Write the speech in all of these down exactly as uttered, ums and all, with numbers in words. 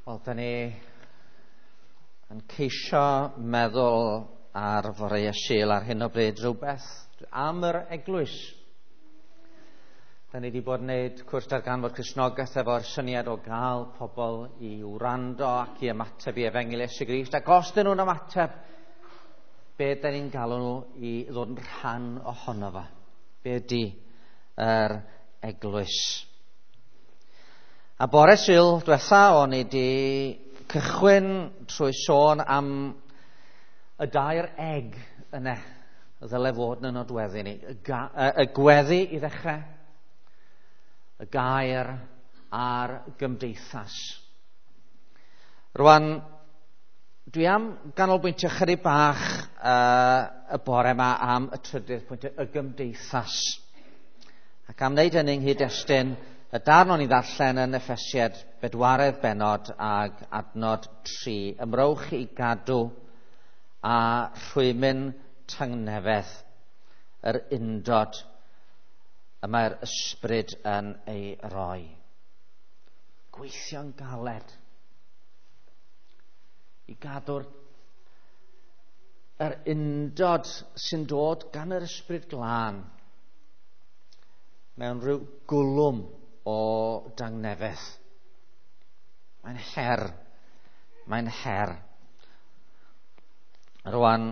Wel, da ni yn ceisio meddwl ar foreau Sul ar hyn o bryd rhywbeth am yr eglwys. Da ni wedi bod yn gwneud cwrs darganfod Cristnogaeth efo'r syniad o gael pobl i wrando ac i ymateb i Efengyl Iesu Grist. Ac os dyn nhw'n ymateb, be da ni'n galw nhw i ddod yn rhan ohono fo? Be ydy yr eglwys? A bore Sul diwetha o'n i wedi cychwyn trwy sôn am y dair egg yna ddyle fod yn y nodweddu ni. Y, ga, y gweddi i ddechrau, y gair a'r gymdeithas. Rwan, dwi am ganolbwyntio chydig bach uh, y bore yma am y trydydd pwynt, y gymdeithas. Ac am wneud hynny yng nghyd-destun y darn o'n i ddarllen yn Effesiaid bedwaredd bennod ag adnod tri. Ymrowch i gadw a rhwymyn tangnefedd, yr undod y mae'r ysbryd yn ei roi. Gweithio'n galed i gadw'r yr undod sy'n dod gan yr ysbryd glân mewn rhyw gwlwm o dangnefedd. Mae'n her. Mae'n her. Rwan,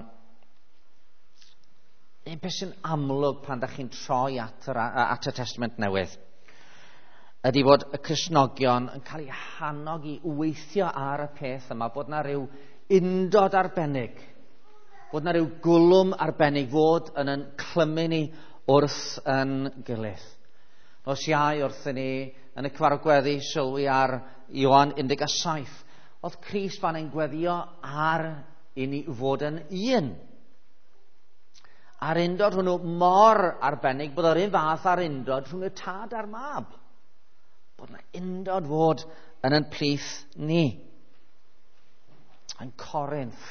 un peth sy'n amlwg pan da chi'n troi at, yr, at y Testament Newydd ydy bod y Cristnogion yn cael eu hannog i weithio ar y peth yma, bod na rhyw undod arbennig, bod na rhyw gwlwm arbennig fod yn yn clymu ni wrth yn gilydd. Nos Iau wrthyn ni yn y cyfarfod gweddi sylwi ar Ioan un deg saith. Oedd Crist fan ein gweddio ar i ni fod yn un. A'r undod hwnnw mor arbennig bod yr un fath a'r undod rhwng y tad a'r mab. Bod yna undod fod yn yn plith ni. Yn Corinth.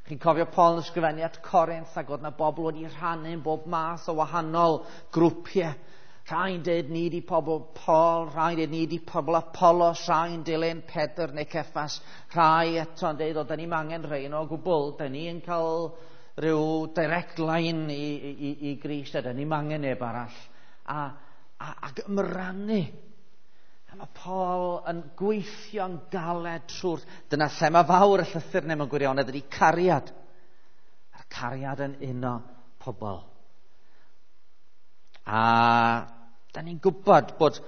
Chi'n cofio Paul yn ysgrifennu at Corinth ac oedd yna bobl wedi rhannu'n bob math o wahanol grwpiau. Rhai'n dweud ni di pobl Paul, rhai'n dweud ni di pobl Apollos, rhai'n dilyn Pedr neu Ceffas, rhai eto'n dweud o, da ni'n angen rhain o gwbl, da ni'n cael rhyw direct line i, i, i Grist, a da ni'n angen neb arall. A, a, ac ymrannu. A mae Paul yn gweithio'n galed trwy'r... Dyna thema fawr y llythyr neu mewn gwirionedd ydy cariad. A'r cariad yn uno pobl. A da ni'n gwybod bod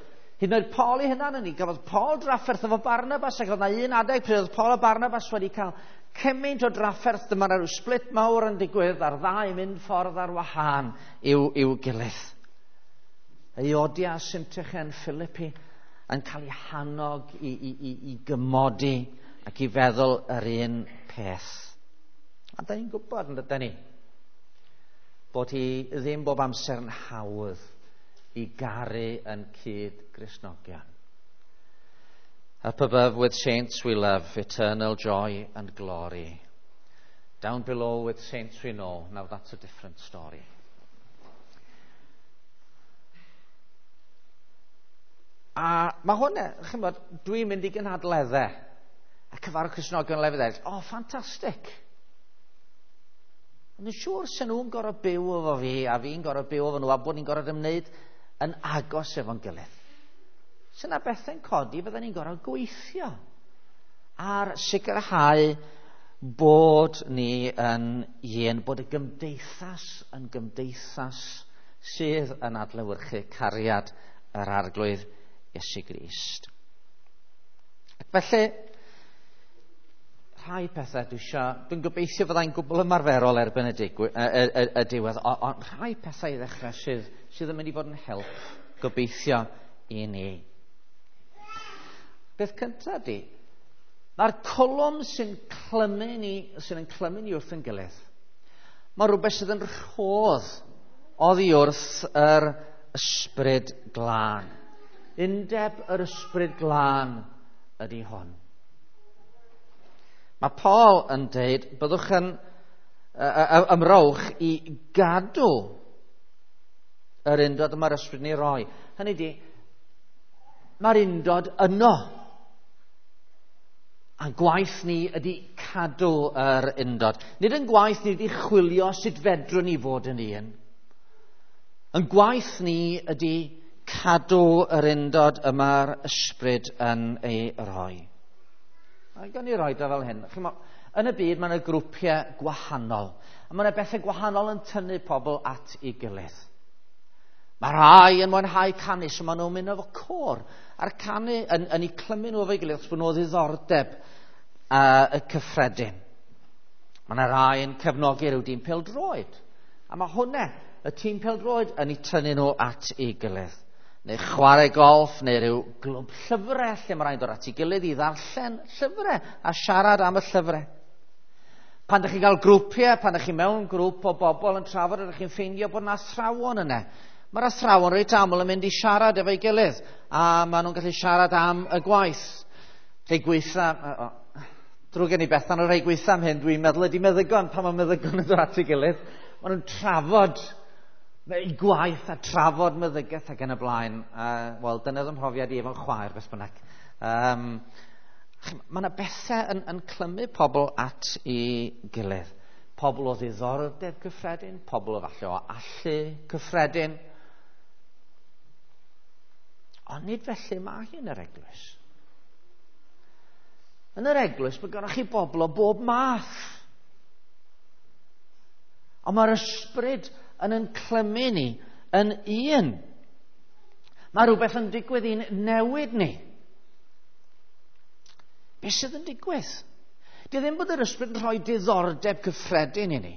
hyd yn oed Paul ei hunan yn ni, gafodd Paul drafferth efo Barnabas, ac oedd na un adeg pryd oedd Paul a Barnabas wedi cael cymaint o drafferth, dyma rhyw split mawr yn digwydd a'r ddau mynd ffordd ar wahân i'w, i'w gilydd. Euodia Syntyche yn Philippi yn cael ei hannog i, i, i, i gymodi ac i feddwl yr un peth. A da ni'n gwybod yn dydyn ni bod hi ddim bob amser yn hawdd i garu yn cyd-Gristnogion. Up above with saints we love, eternal joy and glory. Down below with saints we know, now that's a different story. A mae hwn, chi'n bod, dwi'n mynd i gynhadleddau a cyfarfod Cristnogion lefydd eraill. O, oh, ffantastig! Ond yn siŵr sy'n nhw'n gorfod byw efo fi a fi'n gorfod byw efo nhw a bod ni'n gorfod ymwneud yn agos efo'n gilydd. Sy'n na bethau'n codi fydden ni'n gorfod gweithio ar sicrhau bod ni yn un, bod y gymdeithas yn gymdeithas sydd yn adlewyrchu cariad yr Arglwydd Iesu Grist. Ac felly, rhai pethau dwi isio, dwi'n gobeithio fyddai'n gwbl ymarferol erbyn y, digwy, y, y, y, y diwedd, ond rhai pethau i ddechrau sydd, sydd yn mynd i fod yn help gobeithio i ni. Beth cyntaf di, mae'r cwlwm sy'n clymu ni, sy'n yn clymu ni wrth yn gilydd, mae rhywbeth sydd yn rhodd oddi wrth yr ysbryd glân. Undeb yr ysbryd glân ydy hwn. Mae Paul yn dweud, byddwch yn ymrowch i gadw yr undod y mae'r ysbryd ni roi. Hynny ydy, mae'r undod yno. A gwaith ni ydy cadw yr undod. Nid yn gwaith ni ydy chwilio sut fedrwn ni fod yn un. Yn gwaith ni ydy cadw yr undod y mae'r ysbryd yn ei roi. A gawn ni roi o fel hyn. Chimo, yn y byd mae yna grwpiau gwahanol. A mae yna bethau gwahanol yn tynnu pobl at ei gilydd. Mae rhai yn mwynhau canu, so maen nhw'n mynd efo côr. A'r canu yn, yn eu clymu nhw efo'i gilydd, achos bod nhw o ddiddordeb uh, y cyffredin. Mae yna rai yn cefnogi rhyw dîm pêl-droed. A mae hwnna, y tîm pêl-droed, yn eu tynnu nhw at ei gilydd. Neu chwarae golff, neu rhyw glwb llyfrau, lle mae rhai'n dod at ei gilydd i ddarllen llyfrau a siarad am y llyfrau. Pan ydych chi'n cael grwpiau, pan ydych chi mewn grŵp o bobl yn trafod, ydych chi'n ffeindio bod yna athrawon yna. Mae'r athrawon reit aml yn mynd i siarad efo'i gilydd, a maen nhw'n gallu siarad am y gwaith. Rhai gweitha, drwg gen i Bethan, o rhai gweitha am hyn, dwi'n meddwl ydy meddygon, pan mae meddygon yn dod at ei gilydd, maen nhw'n trafod eu gwaith a trafod meddygaeth ac yn y blaen. Uh, Wel, dyna oedd 'y mhrofiad i efo'n chwaer, beth bynnag. Um, mae yna bethau yn, yn clymu pobl at ei gilydd. Pobl o ddiddordeb cyffredin, pobl o falle o allu cyffredin. Ond nid felly mae hi yn yr eglwys. Yn yr eglwys mae gennych chi bobl o bob math. Ond mae'r ysbryd yn yn clymu ni yn un. Mae rhywbeth yn digwydd i'n newid ni. Beth sydd yn digwydd? Di ddim bod yr ysbryd yn rhoi diddordeb cyffredin i ni.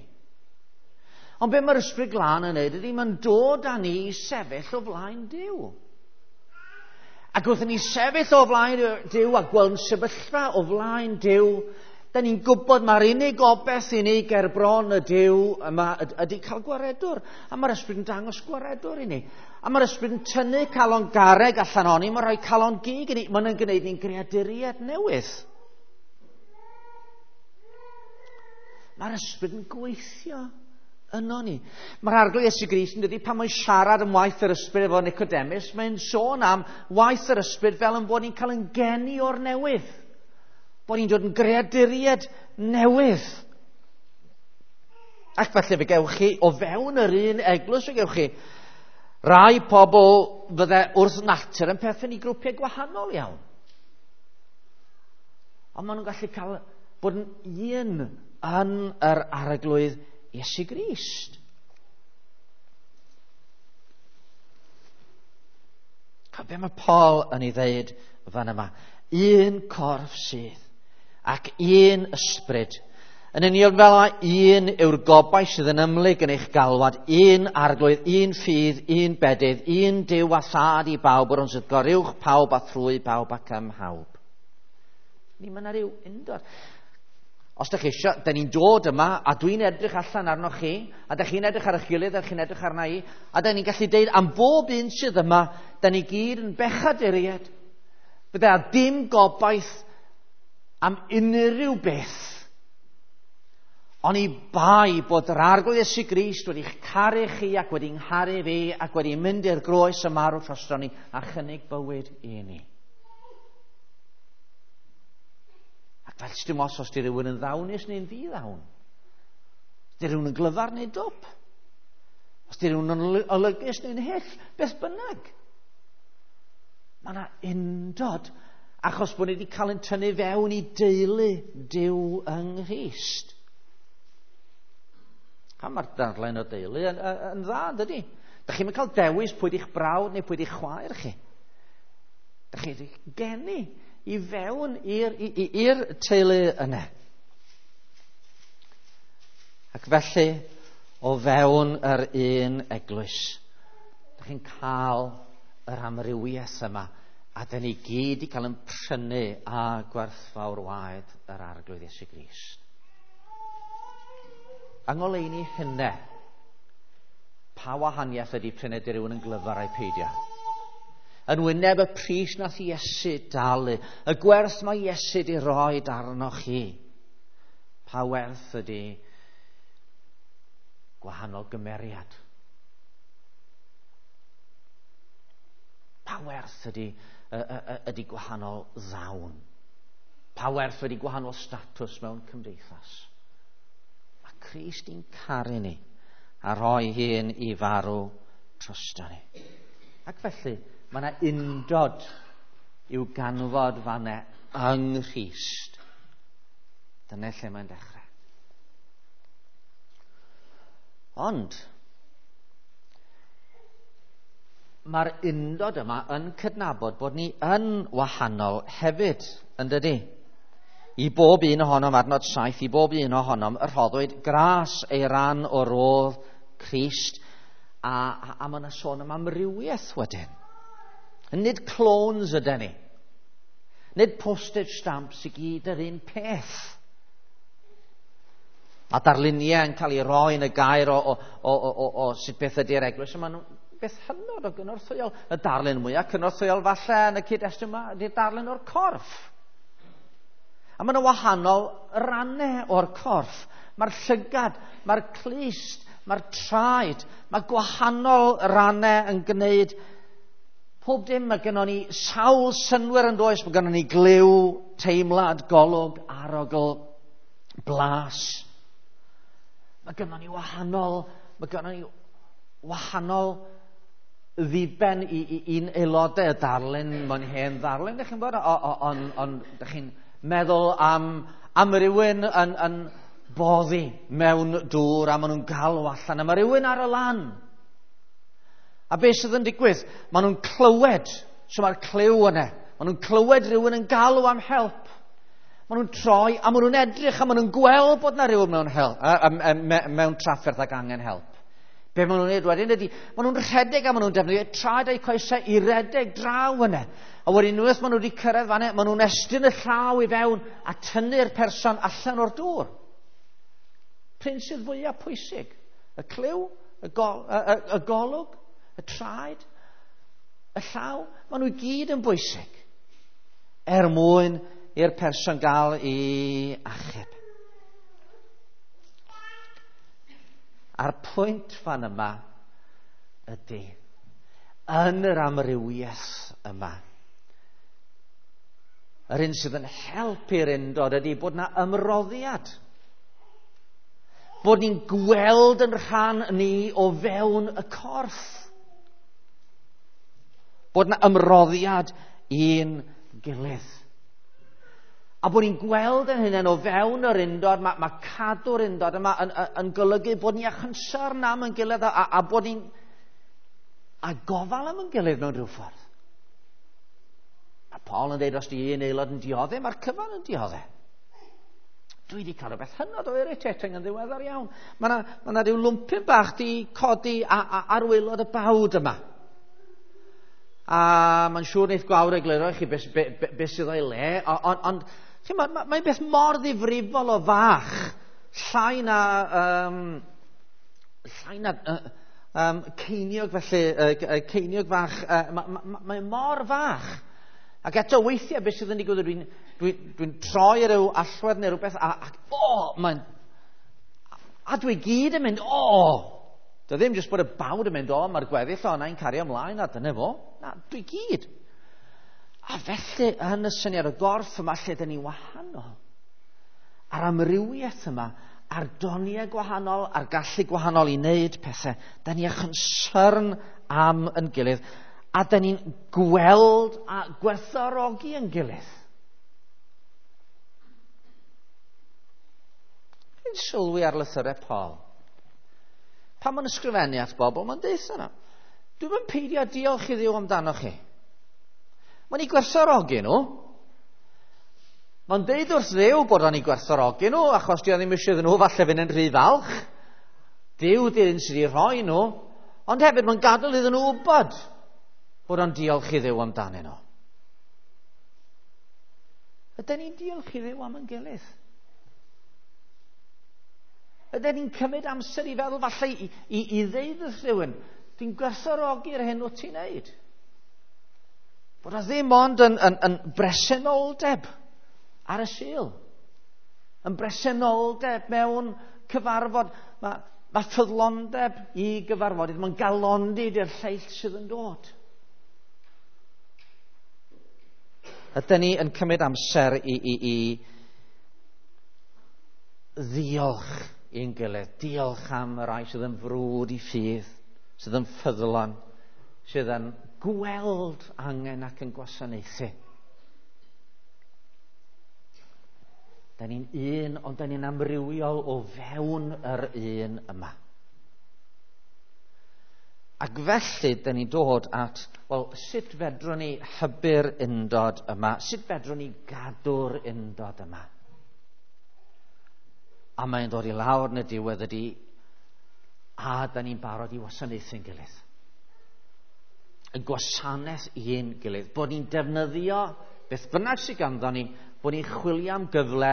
Ond be mae'r ysbryd glân yn neud ydy mae'n dod â ni i sefyll o flaen Duw. Ac wrth i ni sefyll o flaen Duw a gweld yn sefyllfa o flaen Duw, da ni'n gwybod mae'r unig obaith i ni ger bron y Duw yma ydy cael gwaredwr. A mae'r ysbryd yn dangos gwaredwr i ni. A mae'r ysbryd yn tynnu calon garreg allan oni, mae'n rhoi calon gig i ni. Mae'n gwneud ni'n greaduriaid newydd. Mae'r ysbryd yn gweithio yno ni. Mae'r Arglwydd Iesu Grist yn dydi, pan mae'n siarad am waith yr ysbryd efo Nicodemus, mae'n sôn am waith yr ysbryd fel yn bod ni'n cael yn geni o'r newydd. Bod ni'n dod yn greaduriaid newydd. Ac felly fe gewch chi, o fewn yr un eglwys fe gewch chi, rai pobl fydde wrth natur yn perthyn i grwpiau gwahanol iawn. Ond maen nhw'n gallu cael bod yn un yn yr Arglwydd Iesu Grist. A be mae Paul yn ei ddeud fan yma? Un corff sydd ac un ysbryd. Yn union fel yma, un yw'r gobaith sydd yn ymhlyg yn eich galwad, un Arglwydd, un ffydd, un bedydd, un Duw a Thad i bawb, yr hwn sydd goruwch pawb a thrwy bawb ac ym mhawb. Ni mae yna ryw undod. Os ydych chi eisiau, da ni'n dod yma, a dwi'n edrych allan arnoch chi, a da chi'n edrych ar eich gilydd, a chi'n edrych arna i, a da ni'n gallu deud am bob un sydd yma, da ni gyd yn bechaduriaid. Fydde a dim gobaith am unrhyw beth. Ond i bai bod yr Arglwydd Iesu Grist wedi'ch caru chi ac wedi ngharu fi ac wedi mynd i'r groes y marw drosto ni a chynnig bywyd i ni. Ac fel dim os os di rhywun yn ddawnus neu'n ddi-ddawn. Os di rhywun yn glyfar neu dwp. Os di rhywun yn olygus neu'n hyll, beth bynnag. Mae yna undod achos bod ni wedi cael ein tynnu fewn i deulu Duw yng Nghrist. A mae'r darllen o deulu yn, yn, yn dda, dydy? Da chi'n cael dewis pwy di'ch brawd neu pwy di'ch chwaer chi. Da chi wedi geni i fewn i'r, i'r teulu yna. Ac felly, o fewn yr un eglwys, da chi'n cael yr amrywiaeth yma, a da ni gyd i cael yn prynu a gwerthfawr waed yr Arglwydd Iesu Grist. Yng ngoleuni hynny, pa wahaniaeth ydy prynu di rhywun yn glyfar a'i peidio? Yn wyneb y pris nath Iesu dalu, y gwerth mae Iesu di roi arnoch chi, pa werth ydy gwahanol gymeriad? Pa werth ydy, ydy gwahanol ddawn? Pa Pa werth wedi gwahanol statws mewn cymdeithas. Mae Crist i'n caru ni a rhoi hun i farw drosto ni. Ac felly, mae yna undod i'w ganfod fanne yng Nghrist. Dyna lle mae'n dechrau. Ond, mae'r undod yma yn cydnabod bod ni yn wahanol hefyd, yn dydi? I bob un ohonom, adnod saith, i bob un ohonom, y rhoddwyd gras ei ran o rodd Crist, a, a, a mae yna sôn am amrywiaeth wedyn. Nid clones ydyn ni. Nid postage stamps i gyd yr un peth. A darluniau yn cael ei roi yn y gair o, o, o, o, o, o sut beth ydy'r eglwys. Maen nhw'n beth hynod o gynorthwyol. Y darlun mwyaf cynorthwyol falle yn y cyd-destun yma ydy'r darlun o'r corff. A maen nhw wahanol rannau o'r corff. Mae'r llygad, mae'r clust, mae'r traed, mae gwahanol rannau yn gwneud pob dim. Mae gennon ni sawl synnwyr yn does, mae gennon ni glyw, teimlad, golwg, arogl, blas. Mae gennon ni wahanol, mae gennon ni wahanol ddiben i, i, i'n aelodau. Y darlun, mae'n hen ddarlun, dych chi'n bod, ond on, dych chi'n meddwl am, am rywun yn, yn boddi mewn dŵr a maen nhw'n galw allan, a mae rhywun ar y lan. A beth sydd yn digwydd? Maen nhw'n clywed, so mae'r clyw yna. Maen nhw'n clywed rhywun yn galw am help. Maen nhw'n troi a maen nhw'n edrych a maen nhw'n gweld bod na rhywun mewn, help, a, a, a, mewn trafferth ac angen help. Be maen nhw'n neud wedyn ydy, maen nhw'n rhedeg a maen nhw'n defnyddio traed a'u coesau i redeg draw yna. A wedyn unwaith maen nhw wedi cyrraedd fan'na, maen nhw'n estyn y llaw i fewn a tynnu'r person allan o'r dŵr. Pryn sydd fwyaf pwysig? Y clyw, y, gol, y, y, y golwg, y traed, y llaw, maen nhw i gyd yn bwysig er mwyn i'r person gael ei achub. A'r pwynt fan yma ydy, yn yr amrywiaeth yma, yr un sydd yn helpu'r undod ydy bod yna ymroddiad. Bod ni'n gweld yn rhan ni o fewn y corff. Bod yna ymroddiad i'n gilydd. A bod ni'n gweld yn hynny o fewn yr undod, mae, mae cadw'r undod yma yn, yn, yn golygu bod ni â chynsyrn am yn gilydd a, a bod ni'n a gofal am yn gilydd mewn rhyw ffordd. Mae Paul yn dweud os di un aelod yn dioddef, mae'r cyfan yn dioddef. Dwi wedi cael rhywbeth hynod o irritating yn ddiweddar iawn. Mae yna ma na rhyw lwmpyn bach di codi a, a, ar waelod y bawd yma. A mae'n siŵr wneith Gwawr egluro i chi beth be, be, be sydd o'i le, ond on, mae'n ma, ma beth mor ddifrifol o fach, llai na, um, llai na uh, um, ceiniog felly, uh, ceiniog fach, uh, mae ma, ma, mae mor fach. Ac eto weithiau beth sydd yn digwydd, dwi'n dwi, dwi troi rhyw allwedd neu rhywbeth, a, ac o, mae'n, a dwi gyd yn mynd, o! Dy ddim jyst bod y bawd yn mynd, o, mae'r gweddill o'na i'n cario ymlaen, a dyna fo. Na, dwi gyd. A felly, yn y syniad o gorff yma, lle dyn ni wahanol, a'r amrywiaeth yma, a'r doniau gwahanol, a'r gallu gwahanol i wneud pethau, dyn ni â chynsyrn am yn gilydd, a dyn ni'n gweld a gwerthfawrogi yn gilydd. Chi'n sylwi ar lythyrau Paul. Pan mae'n ysgrifennu at bobl, mae'n deud yna, dwi'm yn peidio diolch i Dduw amdano chi. Mae'n ei gwerthfawrogi nhw. Mae'n deud wrth Dduw bod o'n ei gwerthfawrogi nhw, achos di o ddim eisiau iddyn nhw falle fynd yn rhy falch. Duw di'r un sydd wedi rhoi nhw, ond hefyd mae'n gadael iddyn nhw wybod bod o'n diolch i Dduw amdanyn nhw. Ydyn ni'n diolch i Dduw am yn gilydd? Ydyn ni'n cymryd amser i feddwl falle i, i, i ddeud wrth rhywun, dwi'n gwerthfawrogi'r hyn wyt ti'n neud. Bod o ddim ond yn, yn, yn bresenoldeb ar y Sul. Yn bresenoldeb mewn cyfarfod. Mae, mae ffyddlondeb i gyfarfodydd. Mae'n galondid i'r lleill sydd yn dod. Ydyn ni yn cymryd amser i, i, i ddiolch i'n gilydd, diolch am y rhai sydd yn frwd i ffydd, sydd yn ffyddlon, sydd yn gweld angen ac yn gwasanaethu. Da ni'n un, ond da ni'n amrywiol o fewn yr un yma. Ac felly, da ni'n dod at, wel, sut fedrwn ni hybu'r undod yma? Sut fedrwn ni gadw'r undod yma? A mae'n dod i lawr yn y diwedd ydy, a da ni'n barod i wasanaethu'n gilydd. Y gwasanaeth i'n gilydd. Bod ni'n defnyddio beth bynnag sydd ganddo ni, bod ni'n chwilio am gyfle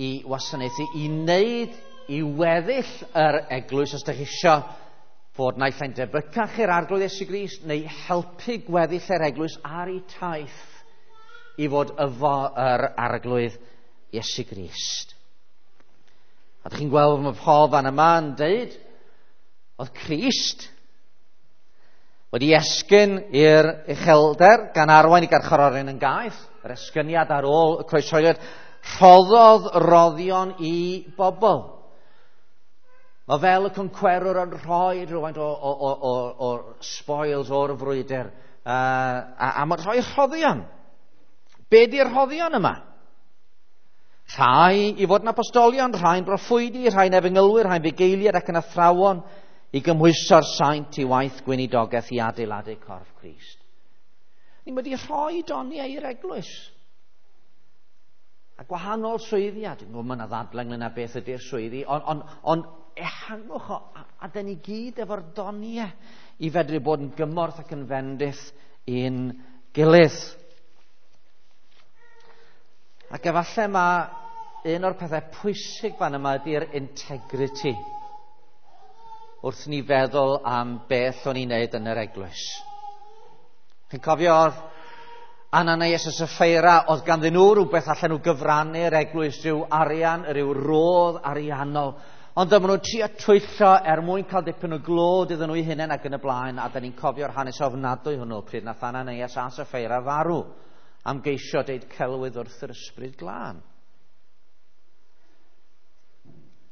i wasanaethu, i wneud i weddill yr eglwys, os ydych chi isio fod naill ai'n debycach i'r Arglwydd Iesu Grist, neu helpu gweddill yr eglwys ar ei taith i fod efo yr Arglwydd Iesu Grist. A ydych chi'n gweld mae Paul fan yma yn deud, oedd Crist wedi esgyn i'r uchelder gan arwain i garcharorion yn gaeth, yr esgyniad ar ôl y croeshoeliad, rhoddodd roddion i bobl. Mae fel y concwerwr yn rhoi rhywfaint o, o, o, o, o spoils o'r frwydr, uh, a, a mae'n rhoi rhoddion. Be di'r rhoddion yma? Rhai i fod yn apostolion, rhai'n broffwydi, rhai'n efengylwyr, rhai'n fugeiliaid ac yn athrawon, i gymhwyso'r saint i waith gweinidogaeth i adeiladu corff Crist. Ni wedi rhoi doniau i'r eglwys. A gwahanol swyddi, a dwi'n gwybod mae yna ddadlau ynglyn â beth ydy'r swyddi, ond on, on ehangwch o, a, a dyn ni gyd efo'r doniau i fedru bod yn gymorth ac yn fendith i'n gilydd. Ac efallai mae un o'r pethau pwysig fan yma ydy'r integrity, wrth ni feddwl am beth o'n i'n neud yn yr eglwys. Chi'n cofio oedd Ananias a Sapphira, oedd ganddyn nhw rhywbeth allan nhw gyfrannu'r eglwys, rhyw arian, rhyw rodd ariannol. Ond dyma nhw'n trio twyllo er mwyn cael dipyn o glod iddyn nhw eu hunain ac yn y blaen, a da ni'n cofio'r hanes ofnadwy hwnnw pryd nath Ananias a Sapphira farw am geisio deud celwydd wrth yr Ysbryd Glân.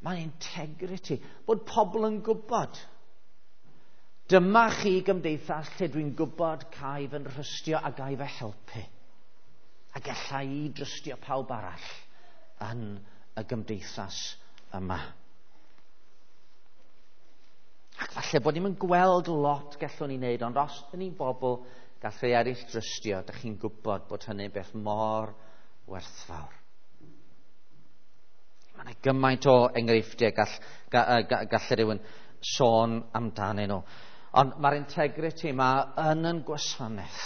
Mae'n integrity, bod pobl yn gwybod. Dyma chi gymdeithas lle dwi'n gwybod cael fy nhrystio a gael fy helpu. A galla i drystio pawb arall yn y gymdeithas yma. Ac falle bod ni'n gweld lot gallwn ni wneud, ond os ydyn ni'n bobl gall rhai eraill drystio, dych chi'n gwybod bod hynny'n beth mor werthfawr. Mae yna gymaint o enghreifftiau gall, gall, gall rhywun sôn amdanyn nhw. Ond mae'r integrity yma yn yn gwasanaeth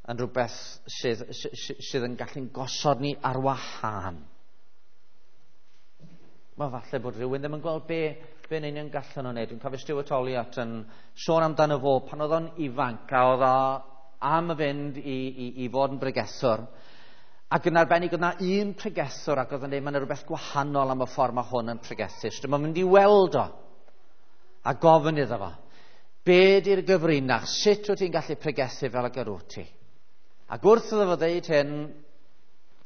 yn rhywbeth sydd, sydd, sydd yn gallu'n gosod ni ar wahân. Mae falle bod rhywun ddim yn gweld be, be'n union gallan nhw'n neud. Dwi'n cofio Stuart Olliott yn sôn amdano fo pan oedd o'n ifanc a oedd o am fynd i, i, i fod yn bregethwr. Ac yn arbennig oedd na un pregethwr ac oedd yn dweud mae yna rhywbeth gwahanol am y ffordd mae hwn yn pregethu. So dyma mynd i weld o a gofyn iddo fo, be di'r gyfrinach? Sut wyt ti'n gallu pregethu fel ag yr wyt ti? Ac wrth iddo fo ddeud hyn,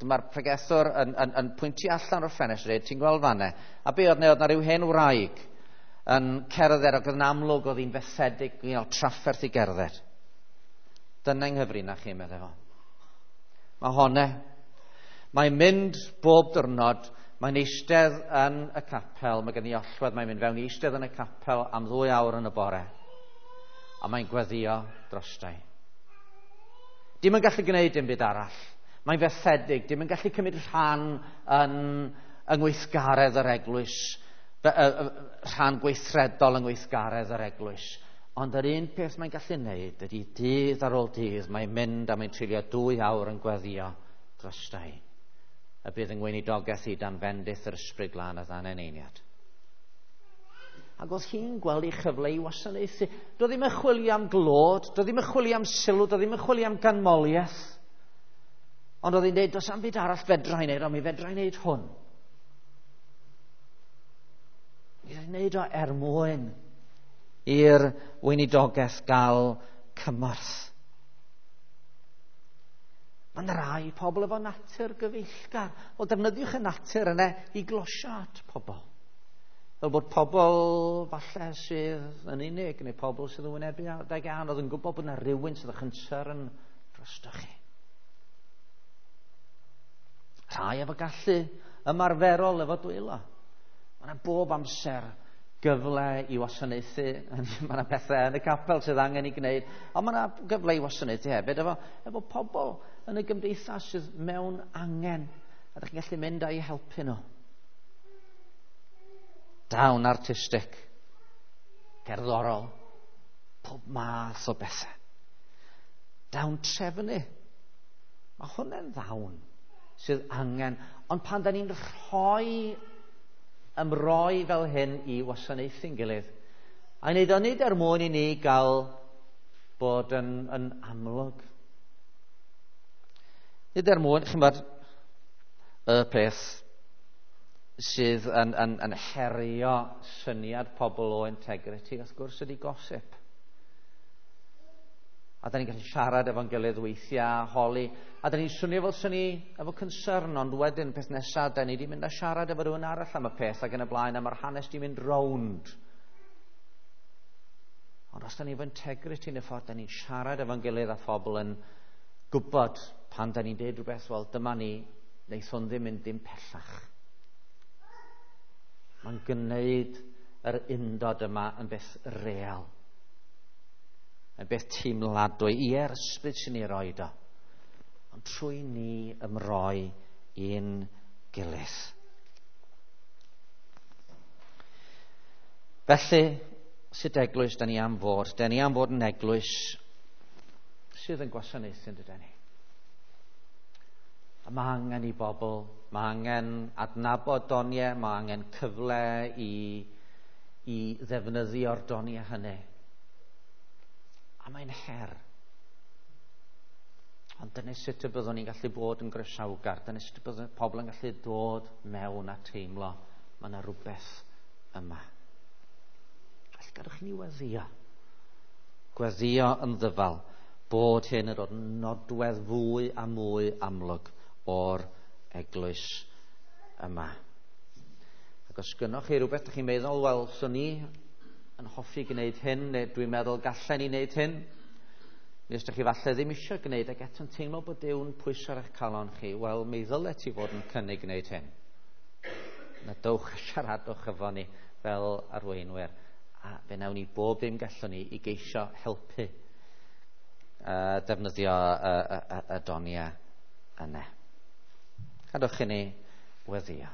dyma'r pregethwr yn, yn, yn pwyntio allan o'r ffenestr, dweud, ti'n gweld fanne? A be oedd neu oedd na rhyw hen wraig yn cerdded ac oedd yn amlwg oedd hi'n fethedig, you know, trafferth i gerdded. Dyna yng nghyfrinach chi, meddai fo. Mae honne. Mae'n mynd bob diwrnod, mae'n eistedd yn y capel, mae gen i allwedd, mae'n mynd fewn i eistedd yn y capel am ddwy awr yn y bore. A mae'n gweddio drostai. Dim yn gallu gwneud dim byd arall. Mae'n fethedig, dim yn gallu cymryd rhan yn yng ngweithgaredd yr eglwys, rhan gweithredol yng ngweithgaredd yr eglwys. Ond yr un peth mae'n gallu gwneud ydy dydd ar ôl dydd, mae'n mynd a mae'n treulio dwy awr yn gweddio drostai. Y bydd yng ngweinidogaeth i dan fendith yr Ysbryd Glân a ddan eneiniad. Ac oedd hi'n gweld ei chyfle i wasanaethu. Doedd ddim yn chwilio am glod, doedd ddim yn chwilio am sylw, doedd ddim yn chwilio am ganmoliaeth. Ond oedd hi'n dweud, does am byd arall fedra i wneud, ond mi fedra i wneud hwn. Mi fedra i wneud o er mwyn i'r weinidogaeth gael cymorth. Mae yna rai pobl efo natur gyfeillgar. Wel, defnyddiwch y natur yna i glosio at pobl. Fel bod pobl falle sydd yn unig, neu pobl sydd yn wynebu adeg anodd yn gwybod bod yna rhywun sydd â chynsern drostoch chi. Rhai efo gallu ymarferol efo dwylo. Mae yna bob amser gyfle i wasanaethu. Mae yna pethau yn y capel sydd angen i gwneud, ond mae yna gyfle i wasanaethu hefyd efo, efo pobl yn y gymdeithas sydd mewn angen, a ydych chi'n gallu mynd a'i helpu nhw. Dawn artistig, cerddorol, pob math o bethau. Dawn trefnu. Mae hwnna'n ddawn sydd angen. Ond pan da ni'n rhoi ymroi fel hyn i wasanaethu'n gilydd, a wneud o nid er mwyn i ni gael bod yn, yn amlwg. Nid er mwyn, chi'n bod, y peth sydd yn, yn, yn herio syniad pobl o integrity, wrth gwrs, ydy gossip. A da ni'n gallu siarad efo'n gilydd weithiau, holi, a da ni'n swnio fel syni efo concern, ond wedyn peth nesaf, da ni wedi mynd a siarad efo rhywun arall am y peth ac yn y blaen, a mae'r hanes di mynd rownd. Ond os da ni efo integrity yn y ffordd, da ni'n siarad efo'n gilydd a phobl yn gwybod pan da ni'n deud rhywbeth, wel dyma ni, wneith hwn ddim mynd dim pellach. Mae'n gwneud yr undod yma yn beth real. Yn beth teimladwy. Ie'r ysbryd sy'n ei roed o. Ond trwy ni ymroi i'n gilydd. Felly, sut eglwys da ni am fod? Da ni am fod yn eglwys sydd yn gwasanaethu, yn dydyn ni. A mae angen i bobl, mae angen adnabod doniau, mae angen cyfle i, i ddefnyddio'r doniau hynny. A mae'n her. Ond dyna sut y byddwn ni'n gallu bod yn groesawgar, dyna sut y byddwn pobl yn gallu dod mewn a teimlo mae yna rhywbeth yma. Felly gadwch i ni weddïo. Gweddïo yn ddyfal bod hyn yn dod yn nodwedd fwy a mwy amlwg o'r eglwys yma. Ac os gynnoch chi rhywbeth ydych chi'n meddwl, wel, swn i yn hoffi gwneud hyn, neu dwi'n meddwl gallen ni wneud hyn, neu os ydych chi falle ddim eisiau gwneud ac eto'n teimlo bod Duw'n pwyso ar eich calon chi, wel, mi ddylet ti fod yn cynnig gwneud hyn. Na dowch a siaradwch efo ni fel arweinwyr, a fe wnawn ni bob dim gallwn ni i geisio helpu uh, defnyddio y, y, y, y doniau yna. Cadwch i ni weddïo.